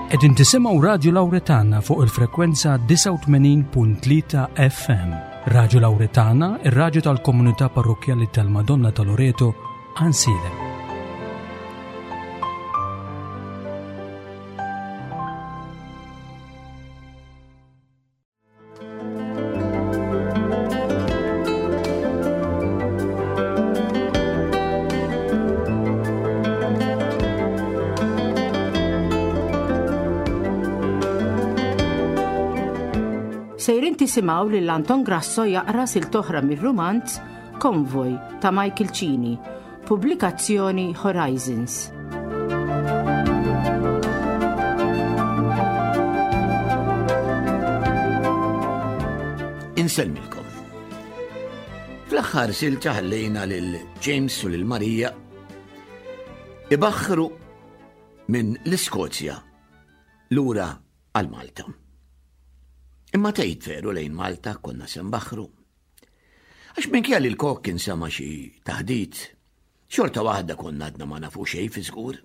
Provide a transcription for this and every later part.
Qegħdin tisimgħu Radju Lawretana fuq il-frekwenza 89.3 FM. Radju Lawretana, ir-radju tal-komunità parrokkjali tal-Madonna ta' Loreto, Ansilem. Sejrin tisimgħu lil Anton Grasso jaqra siltoħra mir-rumanz Konvoj ta' Michael Cini, pubblikazzjoni Horizons. Insellmilkom. Fl-aħħar silta ħallejna lil James u lil Marija ibaħħru minn l-Iskozja lura għal Malta. Imma tgħid veru lejn Malta konna se nbaħħru. Għax minkejja li l-kok kien sema xi taħdit, xorta waħda konna għadna ma nafu xejn fi żgur.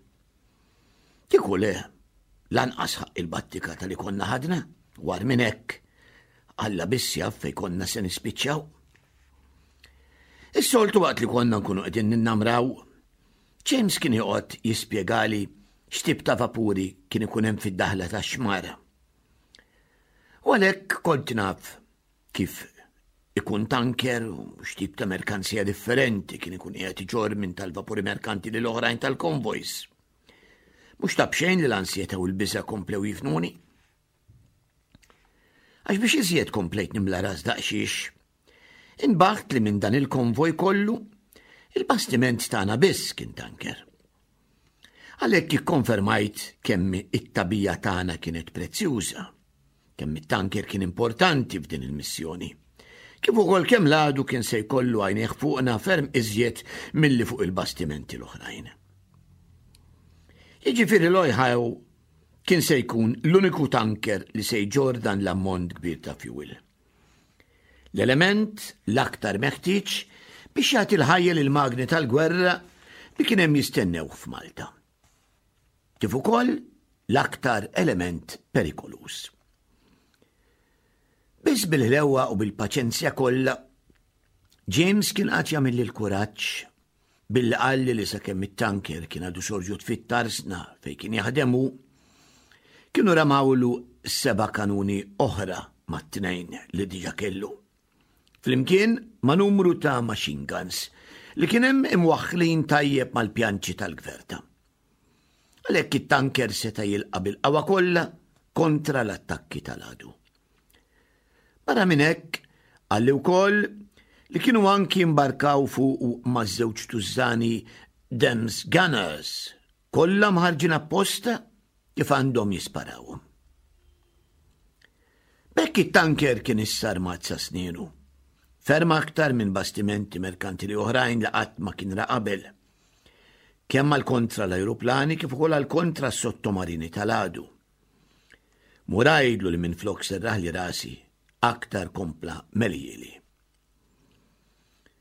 Kieku le, lanqas ħaq il-battika tal-li konna ħadna, war minn hekk, Alla biss jaf fejn konna se nispiċċaw. Is-soltu waqt li konna nkunu qegħdin ninnamraw, James kien joqgħod jispjegali x'tip ta' vapuri kien ikun hemm fid-daħla tax-xmara. U għalhekk kont naf kif ikun tanker u x'tip ta' merkanzija differenti kien ikun qiegħed iġorr minn tal-vapuri merkanti lil oħrajn tal-konvojs. Mhux ta' b'xejn li l-ansjetà u l-biża' komplew jifnuni. Għax biex iżjed komplejt nimla ras daqsxiex, inbaħt li minn dan il-konvoj kollu, il-bastiment tagħna biss kien tanker. Għalhekk ikkonfermajt kemm it-tabija tagħna kienet prezzjuża. Kemm it-tanker kien importanti f'din il-missjoni. Kif ukoll kemm l-għadu kien se jkollu għajnejh fuqna ferm iżjed milli fuq il-bastimenti l-oħrajn. Jiġifieri l-Ojħaw kien se jkun l-uniku tanker li se jġorr dan l-ammont kbir ta' fuel. L-element l-aktar meħtieġ biex jagħti l-ħajja lil magni tal-gwerra li kien hemm jistennewh f'Malta. Kif ukoll l-aktar element perikoluż. Biss bil-ħlewwa u bil-paċenzja kollha, James kien qagħad jagħmilli l-kuraġġ billi qalli li sakemm it-tanker kien għadu sorġut fit-tarsna fejn kien jaħdem hu, kienu ramawlu seba' kanuni oħra mat-tnejn li diġa kellu. Flimkien ma' numru ta' machine guns li kien hemm imwaħħlin tajjeb mal-pjanċi tal-gverta. Għalhekk it-tanker seta' jilqa' bil-qawwa kollha kontra l-attakki tal-għadu. Barra minn hekk, qalli wkoll li kienu anki imbarkaw fuqu ma' żewġ tużżani Dems Gunners, kollha mħarġin apposta kif għandhom jisparawhom. B'hekk it-tanker kien issa armat sa snienu, ferm aktar minn bastimenti merkantili oħrajn li qatt ma kien ra qabel. Kemm għal kontra l-ajruplani kif ukoll għal kontra s-sottomarini tal-għadu. Mur għidlu li minflok serraħli rasi aktar kompla melieli.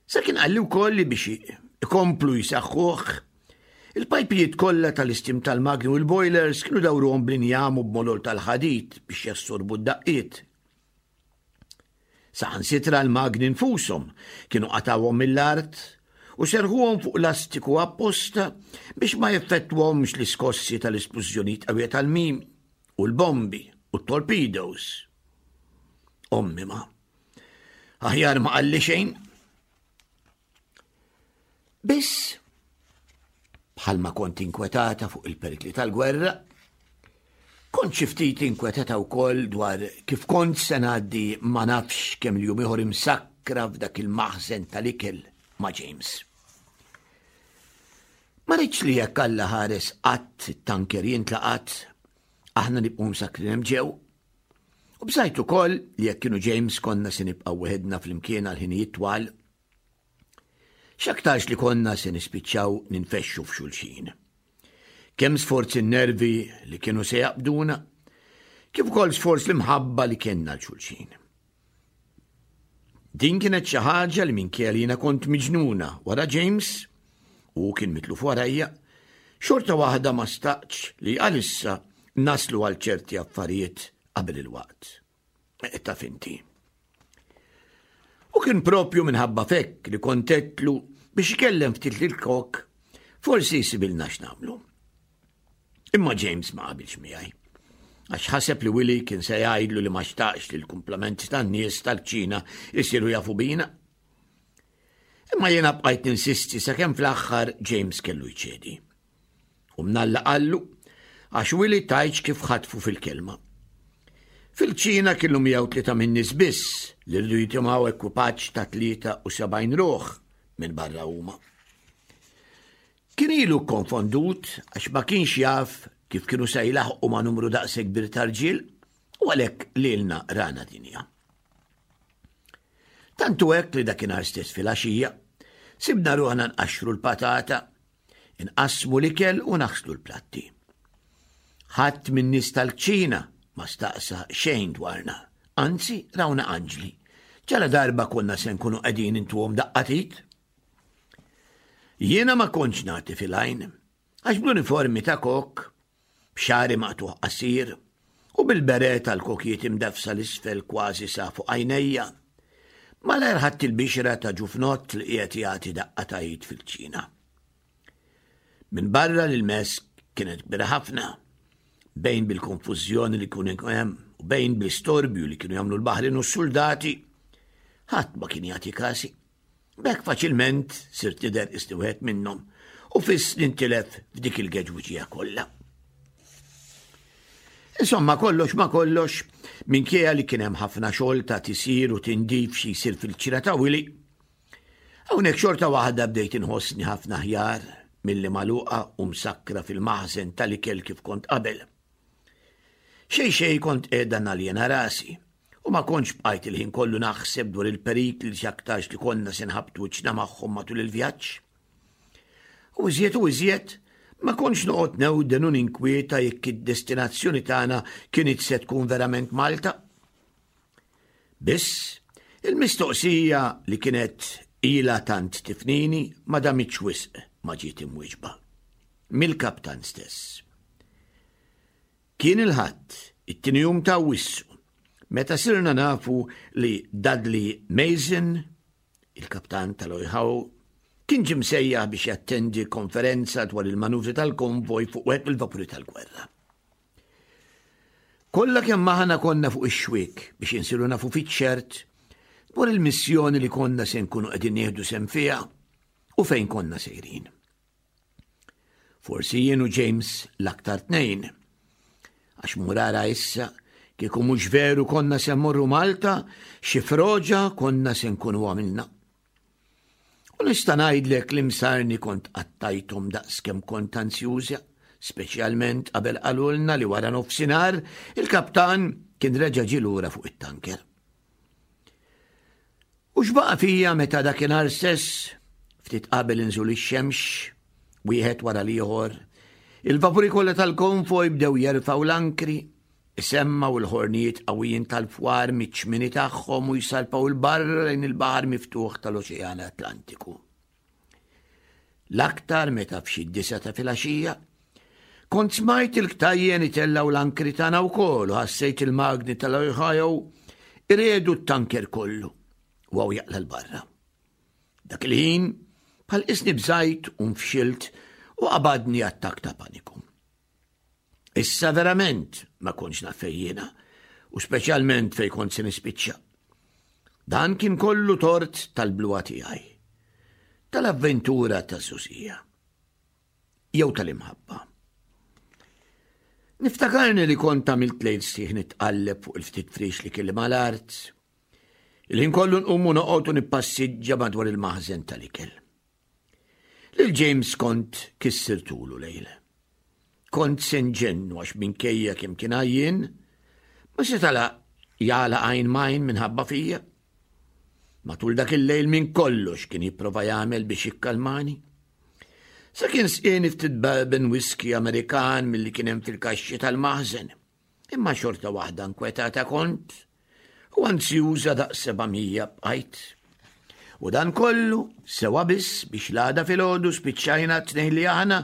Sa kien qalli wkoll li biex ikomplu jsaħħuh, il-pajpijiet kollha tal-istim tal-magni u l-boilers kienu dawruhom bl-injam u b'molol tal-ħadid biex jassorbu d-daqqiet. Saħansitra l-magni nfushom kienu qatgħuhom mill-art u serħuhom fuq lastiku apposta biex ma jeffettwhomx l-iskossi tal-isplużjonijiet qawwija tal-mimi u l-bombi u t-torpedoes. Ommi ma. Aħjar ma qalli xejn. Biss, bħalma kont inkwetata fuq il-perikli tal-gwerra, kont xi ftit inkwetata wkoll dwar kif kont se ngħaddi ma nafx kemm il-jum ieħor imsakkra f'dak il-maħżen tal-ikel ma' James. Ma rridx li jekk Alla ħares qatt it-tanker jintlaqat, aħna nibqgħu msakkrin hemm ġew. U bżajt ukoll li jekk kienu James konna se nibqgħu weħedna flimkien għal ħinijiet twal. X'aktarx li konna se nispiċċaw ninfexxu f'xulxin. Kemm sforz in-nervi li kienu se jaqbduna, kif ukoll sforz l-imħabba li kellna l xulxin. Din kienet xi ħaġa li minkejja li jiena kont miġnuna wara James u kien mitluf warajja, xorta waħda ma staqtx li għalissa naslu għal ċerti affarijiet qabel il-waqt. Eh, taf inti. U kien propju minħabba fekk li kontetlu biex ikellem ftit lil kok, forsi jsibilna x'nagħmlu. Imma James ma qabilx miegħi. Għax ħaseb li Willy kien se jgħidlu li ma xtaqx li l-kumplament tan-nies tal-kċina jsiru jafu bina. Imma jiena bqajt ninsisti sakemm fl-aħħar James kellu jċedi. U mnalla qallu għax Willy tajċ kif ħatfu fil-kelma. Fil-ċina kienu 103 minn nies biss li rridu jitimgħu ekwipaġġ ta' 73 ruħ minn barra huma. Kien ilu konfondut għax ma kienx jaf kif kienu se jlaħqu ma' numru daqshekk kbir ta' rġiel u għalhekk lilna rana dinja. Tantu hekk li dakinhar stess filgħaxija sibna ruħna nqaxxru l-patata, inqassmu l-ikel u naħslu l-platti. Ħadd min-nies tal-kċina ma staqsa xejn dwarna, anzi rawna anġli. Ġala darba konna se nkunu qegħdin intuhom daqqatit. Jiena ma kontx nagħti fil-għajn, għax bl-uniformi ta' kok, b'xagħri maqtugħ qasir u bil-beret tal-kokijiet imdeffsa 'l isfel kważi sa fuq għajnejja, malajr ħadt il-bixra ta' ġufnott li qiegħed jagħti daqqa ta' id fil-kċina. Minbarra li l-mess kienet kbira ħafna, bejn bil-konfużjoni li kien hemm u bejn bl-istorbju li kienu jagħmlu l-baħrin u s-suldati, ħadd ma kien jagħti kasi. B'hekk faċilment sirt nidher qisni wieħed minnhom u fiss nintilef f'dik il-geġwiġija kollha. Insomma, kollox ma kollox, minkejja li kien hemm ħafna xogħol ta' tisir u tindif xi jsir fil-ċira ta' Willy, hawnhekk xorta waħda bdejt inħossni ħafna aħjar milli magħluqa u msakkra fil-maħżen tal-ikel kif kont qabel. Xejn xejn kont qiegħda naljena rasi u ma kontx bqajt il-ħin kollu naħseb dwar il-perikli li x'aktarx li konna se nħabbtu wiċċna magħhom matul il-vjaġġ. U iżjed u iżjed, ma kontx noqgħod newden u ninkwieta jekk id-destinazzjoni tagħna kienet se tkun verament Malta. Biss, il-mistoqsija li kienet ilha tant tifnini ma damitx wisq ma ġiet imwieġba. Mill-kaptan stess. Kien il-Ħadd, it-tieni jum ta' Awwissu, meta sirna nafu li Dudley Mason, il-kaptan tal-Oihaw, kien ġie msejjaħ biex jattendi konferenza dwar il-manuvri tal-konvoj fuq wieħed mill-vapuri tal-gwerra. Kollha kemm aħna konna fuq ix-xwiek biex insiru nafu fiċ-ċert dwar il-missjoni li konna se nkunu qegħdin nieħdu sehem fiha u fejn konna sejrin. Forsi jien u James l-aktar tnejn. Għax murara issa, kieku mhux veru konna se mmorru Malta, xi froġa konna se nkunu għamilna. U nista' ngħidlek li msarni kont qattajthom daqskemm kont anzjuża, speċjalment qabel qalulna li wara nofsinhar il-kaptan kien reġa' ġie lura fuq it-tanker. U x'baqa' fija meta dakinhar stess, ftit qabel inżul ix-xemx, wieħed wara l-ieħor, il-vapuri kollha tal-konvoj bdew jerfgħu l-ankri, isemmgħu l-ħornijiet qawwijin tal-fwar miċ-ċmini tagħhom u jsalpaw 'il barra lejn il-baħar miftuħ tal-Oċean Atlantiku. L-aktar meta f'xi d-disa ta' filgħaxija, kont smajt il-ktajjen itellgħu l-ankri tagħna wkoll u ħassejt il-magni tal-Ohio iredu t-tanker kollu u għaw jaqla l-barra. Dak il-ħin, bħal isni bżajt u nfxilt u qabadni attak ta' paniku. Issa verament ma kontx naf fejn jiena, u speċjalment fejn kont se nispiċċa. Dan kien kollu tort tal-bluha tiegħi, tal-avventura taż-żgħożija, jew tal-imħabba. Niftakarni li kont għamilt lejl sħiħ nitqalleb fuq il-ftit friex li kelli mal-art, il-ħin kollu nqum u noqgħod u nippassiġġa madwar il-maħżen tal-ikel. Lil James kont kissirtulu lejl. Kont se nġennu għax minkejja kemm kien għajjien, ma seta' jagħlaq għajn m'għajn minħabba fija. Matul dak il-lejl minn kollox kien jipprova jagħmel biex jikkalmani. Sa kien sqieni ftit bourbon whisky Amerikan milli kien hemm fil-kaxxi tal-maħżen. Imma xorta waħda nkwetata kont u anzjuża daqs 700 bqajt. U dan kollu sewa biss biex l-għada filgħodu spiċċajna t-tnejn li aħna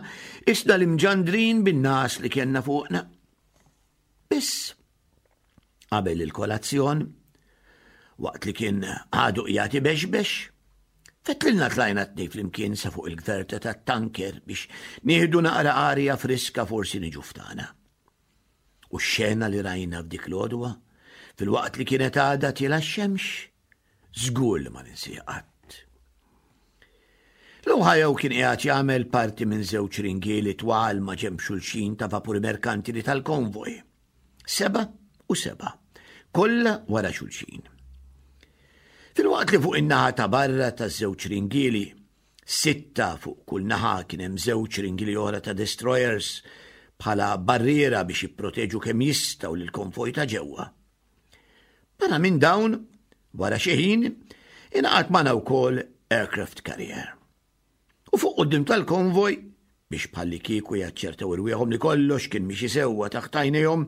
isna l-imġandrin bin-nas li kellna fuqna. Biss, qabel il-kolazzjon, waqt li kien għadu qiegħed ibexbex, fetlilna tlajna t-tnejn flimkien sa fuq il-gverta tat-tanker biex nieħdu naqra arja friska forsi niġu ftana. U x-xena li rajna f'dik l-għodwa, filwaqt li kienet għadha tiela x-xemx, żgur li ma ninsiha qatt. L-Ohio kien qiegħed jagħmel parti minn żewġ ringieli twal ma' ġenb xulxin ta' vapuri merkantili tal-konvoj. 7 u 7, kollha wara xulxin. Filwaqt li fuq in-naħa ta' barra taż-żewġ ringieli, sitta fuq kull naħa kien hemm żewġ ringieli oħra ta' destroyers bħala barriera biex jipproteġu kemm jistgħu lill-konvoj ta' ġewwa. Barra minn dawn, wara xi ħin, ingħaqad magħna wkoll aircraft carrier. U fuq quddiem tal-konvoj, biex bħalli kieku jaċċertaw irwieħhom li kollox kien miexi sewwa taħt għajnejhom,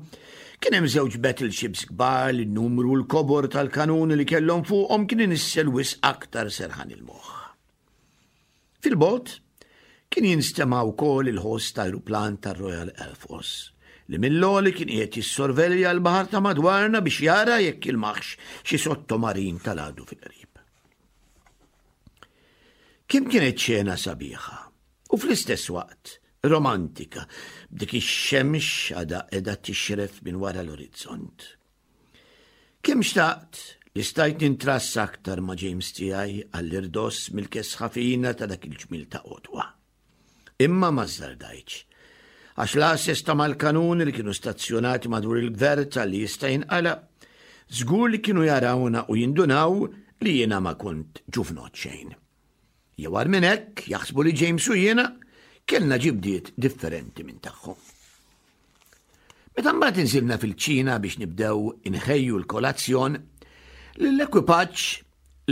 kien hemm żewġ battleships kbar li n-numru u l-kobor tal-kanuni li kellhom fuqhom kien inissel wisq aktar serħan il-moħħ. Fil-bogħod kien jinstema' wkoll il-ħoss ta' ajruplan tar-Royal Air Force li mill-għoli kien qiegħed jissorvelja l-baħar ta' madwarna biex jara jekk jilmaħx xi sottomarin tal-għadu fil-qrib. Kemm kienet xena sabiħa u fl-istess waqt romantika b'dik ix-xemx għadha qiegħda tixref minn wara l-orizzont. Kemm xtaqt li stajt nintrassa aktar ma' James tiegħi għall-irdoss mill-kesħa fina ta' dak il-ġmiel ta' għodwa. Imma ma żżardajtx, għax l-għases ta' mal-kanuni li kienu stazzjonati madwar il-gverta li jista' jinqala', żgur li kienu jarawna u jindunaw li jiena ma kont ġuvnot xejn. Jew agħar minn hekk, jaħsbu li James u jiena kellna ġibdiet differenti minn tagħhom. Meta mbagħad inżilna fil-kċina biex nibdew inħejju l-kolazzjon, lill-ekwipaġġ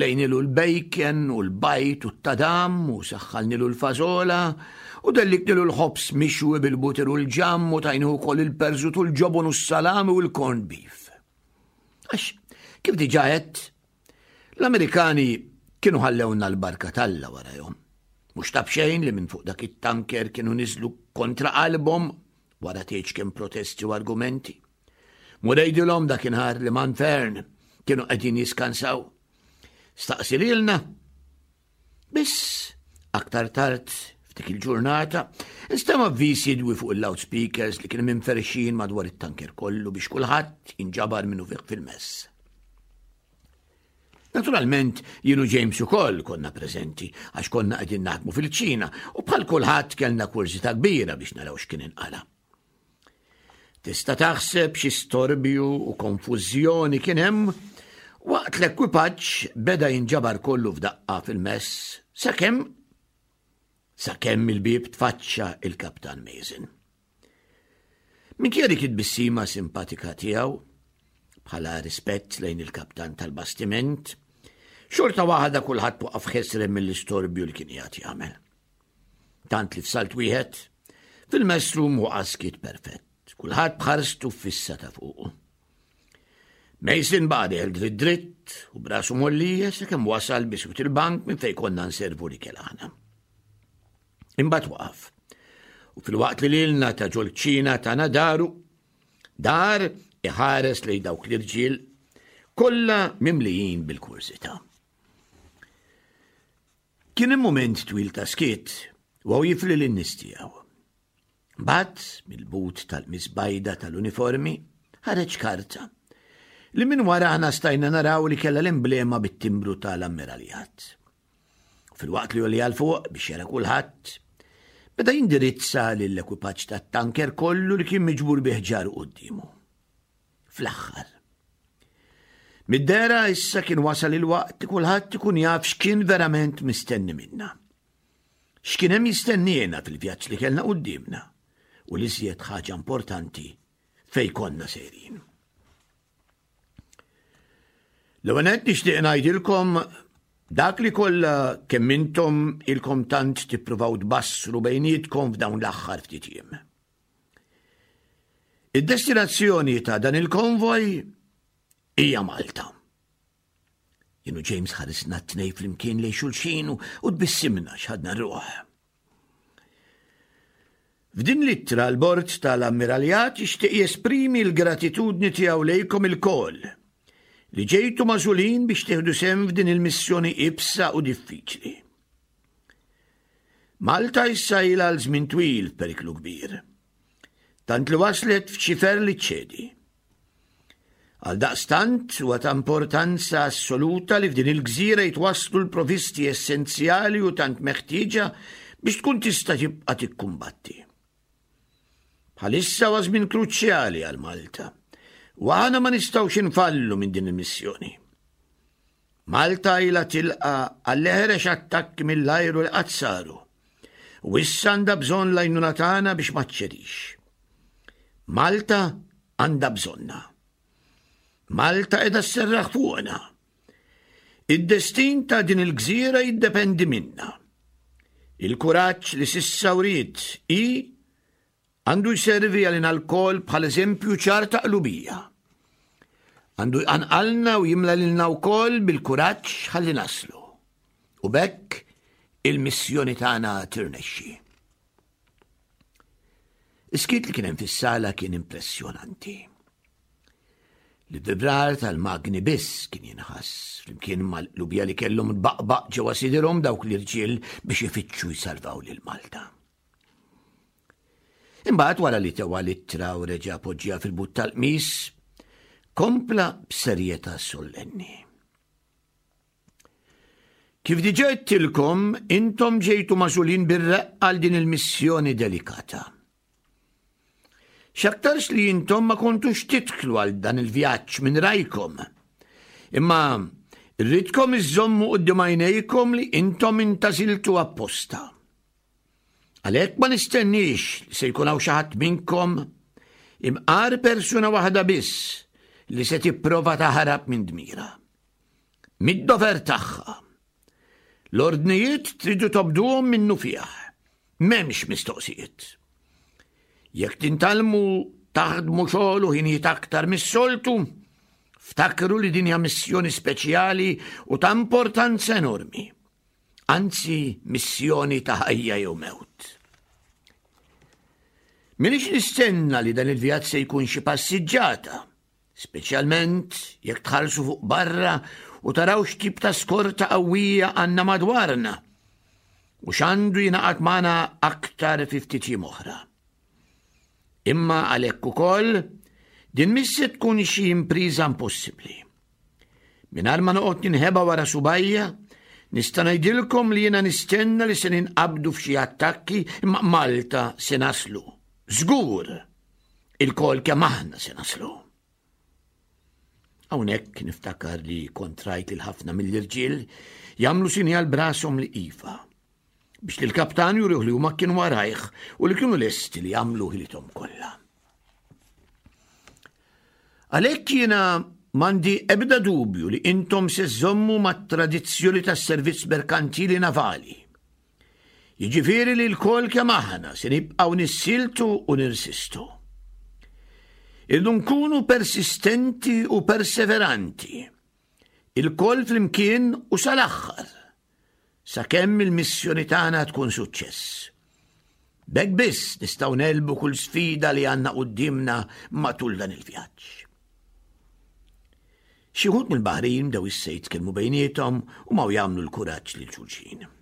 lejnilu l-bacon u l-bajt u t-tadam u saħħalnilu l-fażola u delliknilu l-ħobż mixwi bil-butir u l-ġamm u tajnihu wkoll il-perżut u l-ġobon u s-salami u l-corned beef. Għax, kif diġà għedt, L-Amerikani kienu ħallewna l-barka t'Alla warajhom. Mhux ta' b'xejn li minn fuq dak it-tanker kienu niżlu kontra qalbhom wara tgħidx kemm protesti u argumenti. Mur għidilhom dakinhar li man Fern kienu qegħdin jiskansaw. Staqsi lilna. Biss aktar tard f'dik il-ġurnata, instema' avviż jidwi fuq il-loudspeakers li kienu minferxin madwar it-tanker kollu biex kulħadd jinġabar minnu fih fil-mess. Naturalment, jien u James ukoll konna preżenti għax konna qegħdin naħdmu fil-kċina u bħal kulħadd kellna kurżità kbira biex naraw x'kien inqala. Tista' taħseb xi storbju u konfużjoni kien hemm waqt l-ekwipaġġ beda jinġabar kollu f'daqqa fil-mess sakemm sakemm il-bieb tfaċċa il-Kaptan Mason. Minkejja dik it-tbissima simpatika tiegħu, bħala rispett lejn il-kaptan tal-bastiment, xorta waħda kulħadd waqaf ħesrem mill-istorbju li kien qiegħed jagħmel. Tant li f'salt wieħed, fil-messroom waqa' skiet perfett, kulħadd b'ħarstu fissa ta' fuqu. Mason baqa' dieħel dritt dritt u brasu mollija sakemm wasal biswit il-bank minn fejn konna nservu l-ikel aħna. Imbagħad waqaf. U filwaqt li lilna ta' ġol-kċina tana daru, dar iħares lejn dawk l-irġiel kollha mimlijin bil-kurżità. Kien hemm mument twil ta' skiet u hawn jifli lin-nies tiegħu. Mbagħad mill-but tal-misbajda tal-uniformi ħareġ karta li minn wara aħna stajna naraw li kellha l-emblema bit-timbru tal-ammiraljat. Filwaqt li għolli għal fuq biex jara kulħadd, beda jindirizza lill-ekwipaġġ tat-tanker kollu li kien miġbur bi ħġaru quddiemu. Fl-aħħar. Mid-dehra issa kien wasal il-waqt li kulħadd ikun jaf x'kien verament mistenni minna. X'kien hemm jistenniena fil-vjaġġ li kellna quddiemna u l-iżjed ħaġa importanti fejn konna sejrin. L-ewwel nett nixtieq ngħidilkom dak li kollha kemm intom ilkom tant tippruvaw tbassru bejnietkom f'dawn l-aħħar ftit jiem. Id-destinazzjoni ta' dan il-konvoj hija Malta. Jien u James ħarisna t-tnej flimkien lejn xulxin u tbissimna x'ħadna ruħ. F'din l-ittra l-Bord tal-Ammiraljat jixtieq jesprimi l-gratitudni tiegħu lejkom ilkoll li ġejtu magħżulin biex tieħdu sehem f'din il-missjoni iebsa u diffiċli. Malta issa ilha għal żmien twil f'periklu kbir. Tant li waslet f'ċifer li ċċedi. Għaldaqstant huwa ta' importanza assoluta li f'din il-gżira jitwasslu l-provisti essenzjali u tant meħtieġa biex tkun tista' tibqa' tikkumbatti. Bħalissa huwa żmien kruċjali għal Malta u aħna ma nistgħux infallu minn din il-missjoni. Malta ilha tilqa' għall-eħrex attakki mill-ajru li qatt saru u issa għandha bżonn l-għajnuna tagħna biex ma ċċedix. Malta għandha bżonna. Malta qiegħda sserraħ fuqna. Id-destin ta' din il-gżira jiddependi minna. Il-kuraġġ li sissa wriet hi Għandu jservi għalina lkoll bħal eżempju ċar ta' qlubija. Għandu jqanqalna u jimla lilna wkoll bil-kuraġġ ħalli naslu. U b'hekk il-missjoni tagħna tirnexxi. Is-skiet li kien hemm fis-sala kien impressjonanti. L-vibrar tal-magni biss kien jinħass flimkien mal-qlubija li kellhom tbaqbaq ġewwa sidirhom dawk l-irġiel biex ifittxu jsalvaw lil Malta. Imbagħad wara li tewa l-ittra u reġa' poġġiha fil-but tal-qmis, kompla b'serjetà sollenni. Kif diġà għedtilkom, intom ġejtu magħżulin bir-reqqa għal din il-missjoni delikata. X'aktarx li intom ma kontux titħlu għal dan il-vjaġġ minn rajkom. Imma rridkom iżżommu quddiem għajnejkom li intom intażiltu apposta. Għalhekk ma nistenniex li se jkun hawn xi ħadd minnkom, imqar persuna waħda biss, li se tipprova taħrab minn dmira. Mid-dover tagħha. L-ordnijiet tridu tobduhom minnufih. M'hemmx mistoqsijiet. Jekk tintalmu taħdmu xogħol u ħinijiet aktar mis-soltu, ftakru li din hija missjoni speċjali u ta' importanza enormi. Anzi missjoni ta' ħajja jew mewt. Minix nistenna li dan il-vjaġġ se jkun xi passiġġata, speċjalment jekk tħarsu fuq barra u taraw x'tip ta' skorta qawwija għandna madwarna u x'għandu jingħaqad magħna aktar fi ftit jiem oħra. Imma għalhekk ukoll din mhix se tkun xi impriża impossibbli. Mingħajr ma noqgħod ninħeba wara subajja, nista' ngħidilkom li jiena nistenna li se ninqabdu f'xi attakki imma Malta se naslu. Żgur! Ilkoll kemm aħna se naslu. Hawnhekk niftakar li kont rajt lil ħafna mill-irġiel jagħmlu sinjal brashom li iva. Biex lill-kaptan jurih li huma kienu warajh u li kienu lesti li jagħmlu ħilithom kollha. Għalhekk jiena m'għandi ebda dubju li intom se żżommu mat-tradizzjoni tas-servizz merkantili navali. Jiġifieri li lkoll kemm aħna se nibqgħu nissiltu u nirsistu. Irdu nkunu persistenti u perseveranti, ilkoll flimkien u sal-aħħar, sakemm il-missjoni tagħna tkun suċċess. B'hekk biss nistgħu negħlbu kull sfida li għandna quddiemna matul dan il-vjaġġ. Xi wħud mill-baħrin bdew issa jitkellmu bejniethom u maw jagħmlu l-kuraġġ lil xulxin.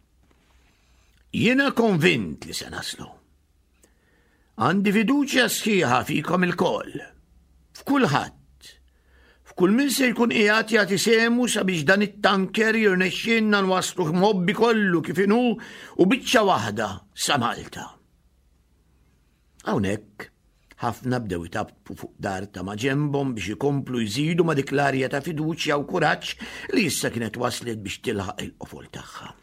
Jiena konvint li se naslu. Għandi fiduċja sħiħa fikom ilkoll, f'kulħadd, f'kull min se jkun qiegħed jagħti sehmu sabiex dan it-tanker jirnexxielna nwassluh mgħobbi kollu kif inhu u biċċa waħda sa Malta. Hawnhekk ħafna bdew itappu fuq dar ta' maġenbhom biex ikomplu jżidu ma' dik l-arja ta' fiduċja u kuraġġ li issa kienet waslet biex tilħaq il-qofol tagħha.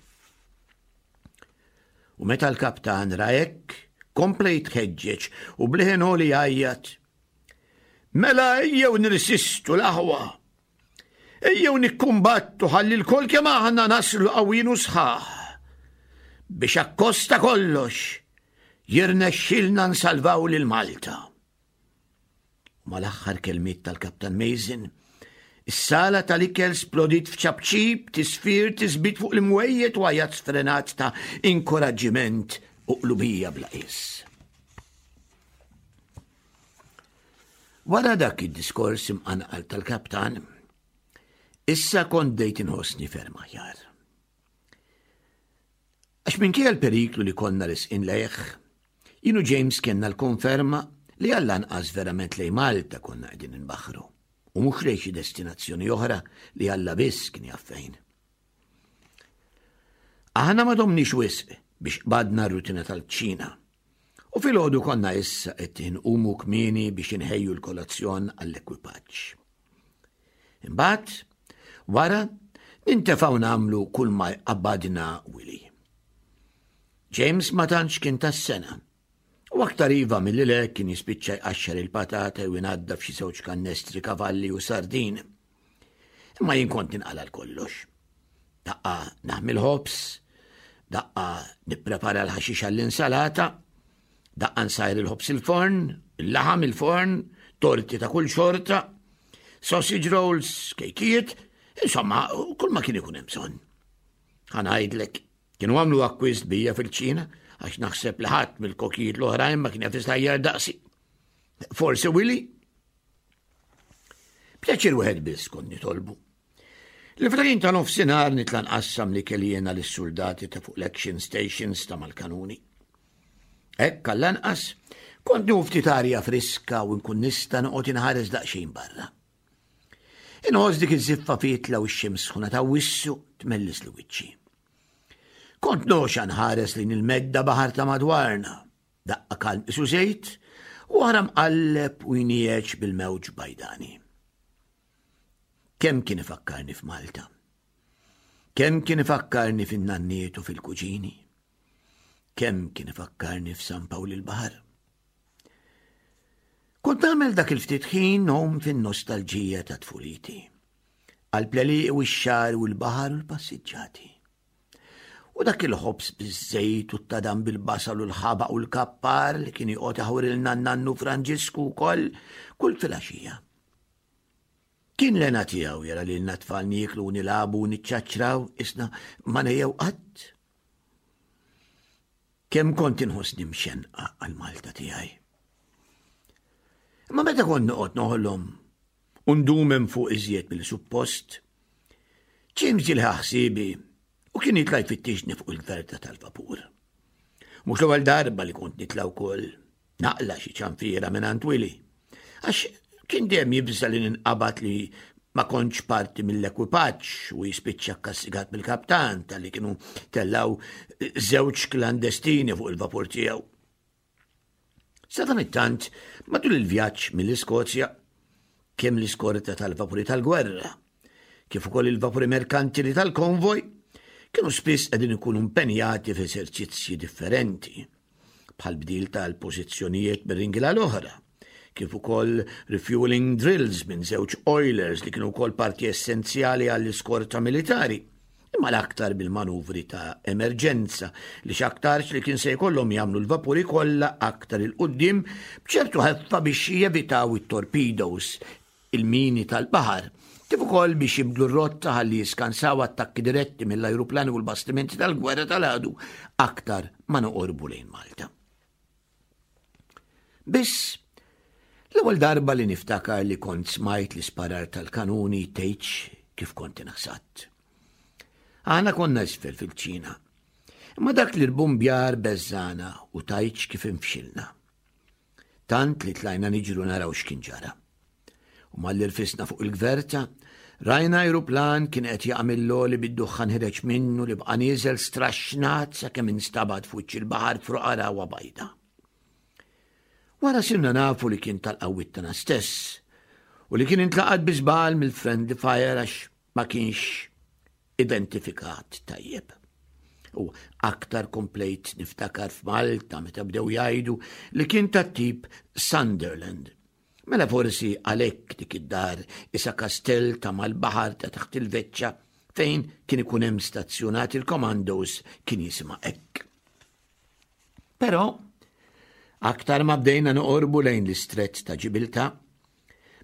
U meta l-kaptan ra hekk, kompla jitħeġġeġ u b'leħen għoli jgħajjat. Mela ejjew nirsistu l-aħwa! Ejjew nikkumbattu ħalli lkoll kemm aħna naslu qawwin u sħaħ biex akkost ta' kollox jirnexxilna nsalvaw lil Malta. U mal-aħħar kelmiet tal-Kaptan Mason, is-sala tal-ikel splodiet f'ċapċip, tisfir, tisbit fuq l-imwejjed u għajat sfrenat ta' inkoraġġiment u qlubija bla qies. Wara dak id-diskors imqanqal tal-kaptan, issa kont bdejt inħossni ferm aħjar. Għax minkejja l-periklu li konna resqin lejh, jien u James kellna l-konferma li għall-anqas verament lejn Malta konna qegħdin inbaħħru u mhux lejn xi destinazzjoni oħra li Alla biss kien jaf fejn. Aħna ma domniex wisq biex qbadna r-rutina tal-kċina. U filgħodu konna issa qed inqumu kmieni biex inħejju l-kolazzjon għall-ekwipaġġ. Imbagħad, wara, nintefgħu nagħmlu kull ma jqabbadna Willy. James ma tantx kien tas-sena. U aktar iva milli le kien jispiċċa jqaxxar il-patata jew inaddaf xi żewġ kannestri kavalli u sardin. Imma jien kont ninqala l-kollox. Daqqa naħmi l-ħobż, daqqa nipprepara l-ħaxix għall-insalata, daqqa nsajr il-ħobż il-forn, il-laħam il-forn, torti ta' kull xorta, sausage rolls, kejkijiet, insomma, kull ma kien ikun hemm bżonn. Ħa ngħidlek, kienu għamlu akkwist bija fil-ċina għax naħseb li ħadd mill-kokijiet l-oħrajn ma kien jaf isajjar daqsi. Forsi Willy Pjaċir wieħed biss kont nitolbu. Li fl-ħin ta' nofsinhar nitla' nqassam li kelli jiena lis-suldati ta' fuq l-action stations ta' mal-kanuni. Hekk għall-anqas kont nieħu ftit arja friska u nkun nista' noqgħod inħares daqsxejn barra. Inħoss dik iż-żiffa fitla u x-xemx sħuna ta' wissu tmellis li wiċċi. Kont noxa nħares lejn il-medda baħar ta' madwarna Daqqa kalm isu żejt u oħra mqalleb u jnieġ bil-mewġ bajdani. Kemm kien ifakkarni f'Malta? Kemm kien ifakkarni fin-nanniet u fil-kuġini? Kemm kien ifakkarni f'San Pawl il-Baħar? Kont nagħmel dak il-ftit ħin hom fin-nostalġija ta' tfuliti. Għal-pleliq u x-xar u l-baħar u l-passiġġati. U dak il-ħobż biż-żejt u t-tadam bil-basal u l-ħabaq u l-kappar li kien joqgħod iħawrilna n-nannu Franġisku wkoll kull filgħaxija. Kien l-hena tiegħu jara lilna tfal nieklu u nilagħbu u niċċaċċraw isna ma nejjew qatt. Kemm kont inħossni mxenqa għal Malta tiegħi. Imma meta kont noqgħod noħolom u ndum hemm fuq iżjed milli suppost, James ġie ħsiebi u kien jitla' jfittixni fuq il-gverta tal-vapur. Mhux l-ewwel darba li kont nitla' wkoll naqla xi ċanfiera minn għand Willy. Għax kien dejjem jibża li ninqabad li ma kontx parti mill-ekwipaġġ u jispiċċa kkastigat mill-kaptan tal-li kienu tellaw żewġ klandestini fuq il-vapur tiegħu. Sadanittant, matul il-vjaġġ mill-Iskozja, kemm l-iskorta tal-vapuri tal-gwerra, kif ukoll il-vapuri merkantili tal-konvoj, kienu spiss qegħdin ikunu impenjati f'eżerċizzji differenti, bħal bdil tal-pożizzjonijiet minn ringila l-oħra, kif ukoll refueling drills minn żewġ oilers li kienu wkoll parti essenzjali għall-iskorta militari. imma l-aktar bil-manuvri ta' emerġenza li x'aktarx li kien se jkollhom jagħmlu l-vapuri kollha aktar 'il quddiem b'ċertu ħeffa biex jevitaw it-torpedoes, il-mini tal-baħar, kif ukoll biex jibdlu r-rotta ħalli jiskansaw attakki diretti mill-ajruplani u l-bastimenti tal-gwerra tal-għadu aktar ma noqorbu lejn Malta. Biss, l-ewwel darba li niftakar li kont smajt l-isparar tal-kanuni tgħidx kif kont inħsadt. Aħna konna isfel fil-ċina. Imma dak li l-bumbjar beżżana u tgħidx kif infxilna. Tant li tlajna niġru naraw x'kien ġara. U malli rfisna fuq il-gverta, rajna ajruplan kien qed jaqa' mill-għoli bid-duħħan ħireġ minnu li baqa' nieżel straxxnat sakemm instabat f'wiċċ il-baħar f'roqgħa ragħwa bajda. Wara sirna nafu li kien tal-qawwiet tagħna stess u li kien intlaqat bi żball mill-friendly fire għax ma kienx identifikat tajjeb. U aktar komplejt niftakar f'Malta meta bdew jgħidu li kien tat-tip Sunderland Mela forsi għalhekk dik id-dar isa kastell ta' mal-baħar ta' taħt il-veċċa fejn kien ikun hemm stazzjonat il-commandos kien jisimha hekk. Però aktar ma bdejna noqorbu lejn l-istrett ta' Ġibilta,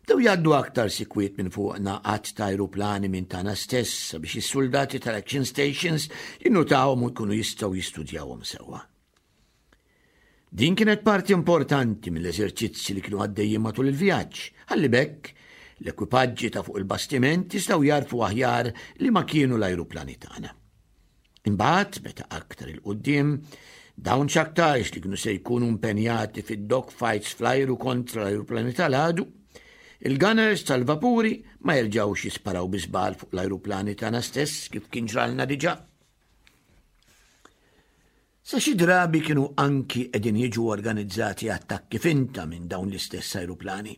bdew jgħaddu aktar sikwiet minn fuqna għadd ta' ajruplani minn tagħna stess sabiex is-suldati tal-action stations jinnutawhom u jkunu jistgħu jistudjawhom sewwa. Din kienet parti importanti mill-eżerċizzi li kienu għaddejjin matul il-vjaġġ, ħalli b'hekk l-ekwipaġġi ta' fuq il-bastiment jistgħu jagħrfu aħjar li ma kienu l-ajruplani tagħna. Imbagħad, meta aktar 'il quddiem, dawn x'aktarx li kienu se jkunu impenjati fid-dog fights fl-ajru kontra l-ajruplani tal-għadu, il-gunners tal-vapuri ma jerġgħux jisparaw bi żball fuq l-ajruplani tagħna stess kif kien ġralna diġà. Sa xi drabi kienu anki qegħdin jiġu organizzati attakki finta minn dawn l-istess ajruplani.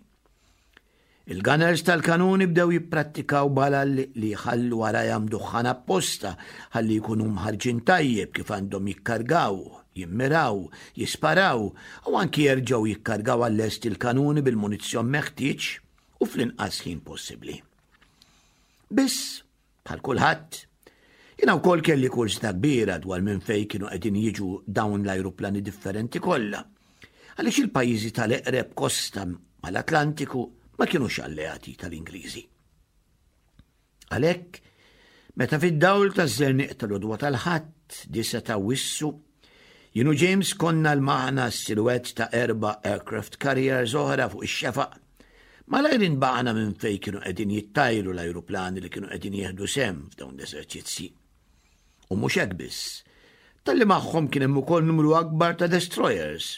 Il-gunners tal-kanuni bdew jipprattikaw balal li jħallu warajhom duħħan apposta ħalli jkunu mħarrġin tajjeb kif għandhom jikkargaw, jimmiraw, jisparaw u anki jerġgħu jikkargaw għal-lest il-kanuni bil-munizzjon meħtieġ u fl-inqas ħin possibbli. Biss, Bħal kulħadd, jiena wkoll kelli kurżità kbira dwar minn fejn kienu qegħdin jiġu dawn l-ajruplani differenti kollha. Għaliex il-pajjiżi tal-eqreb kosta mal-Atlantiku ma kinux alleati tal-Ingliżi. Għalhekk, meta fid-dawl taż-żerniq tal-għodwa tal-Ħadd, disa' ta' Wissu, Jien u James konna lmaħna s-silwett ta' erba' aircraft carriers oħra fuq ix-xefaq. Malajr inbaqna minn fejn kienu qegħdin jittajru l-ajruplani li kienu qegħdin jieħdu sehem f'dawn l-eżerċizzji. U mhux hekk biss, talli magħhom kien hemm ukoll numru akbar ta' destroyers,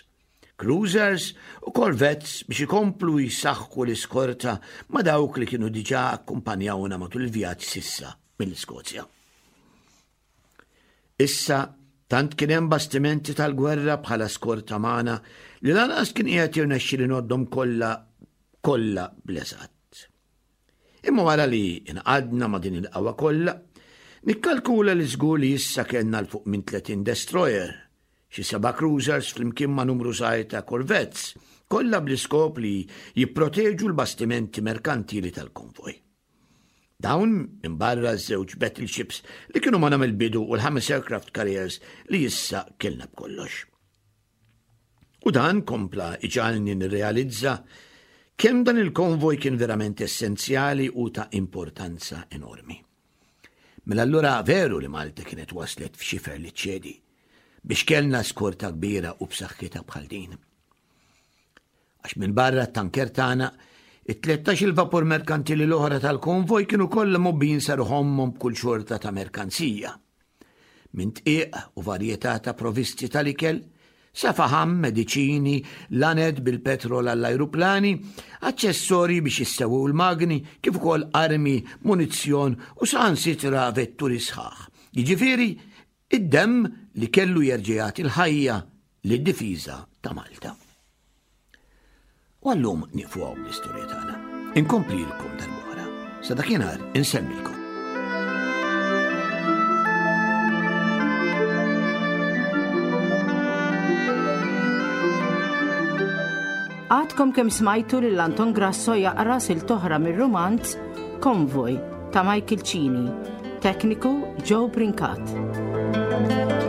cruisers u corvettes biex ikomplu jsaħħu l-iskorta ma' dawk li kienu diġà akkumpanjawna matul il-vjaġġ s'issa mill-Iskozja. Issa, tant kien hemm bastimenti tal-gwerra bħala skorta magħna li lanqas kien qiegħed jirnexxieli ngħoddhom kollha kollha bl-eżatt. Imma wara li inqadna ma' din il-qawwa kollha, nikkalkula li żgur li issa kellna 'l fuq minn 30 destroyer, xi seba' cruisers flimkien ma' numru żgħir ta' corvettes, kollha bl-iskop li jipproteġu l-bastimenti merkantili tal-konvoj. Dawn minbarra ż-żewġ battleships li kienu magħna mill-bidu u l-ħames aircraft carriers li issa kellna b'kollox. U dan kompla iġalni nirrealizza kemm dan il-konvoj kien verament essenzjali u ta' importanza enormi. Mela allura veru li Malta kienet waslet f'xifer li ċedi biex kellna skorta kbira u b'saħħitha bħal din. Għax minbarra t-tanker tagħna, it-13 il-vapur merkantili l-oħra tal-konvoj kienu kollha mgħobbijin sa ruħomhom b'kull xorta ta' merkanzija. Minn tqiq u varjetà ta' provisti tal-ikel, sa faħam, mediċini, laned bil-petrol għall-ajruplani, aċċessorji biex jissewwew il-magni, kif ukoll armi, munizzjon u saħansitra vetturi sħaħ. Jiġifieri, Id-demm li kellu jerġa' jagħti l-ħajja lid-difiża ta' Malta. U għallum nieqfu hawn bl-istorja tagħna. Inkomplilkom darb'oħra. Sa dakinhar insellmilkom. Għadkom kemm smajtu lil Anton Grasso jaqra silt oħra mir-rumanz Konvoj ta' Michael Cini, tekniku Joe Brincat.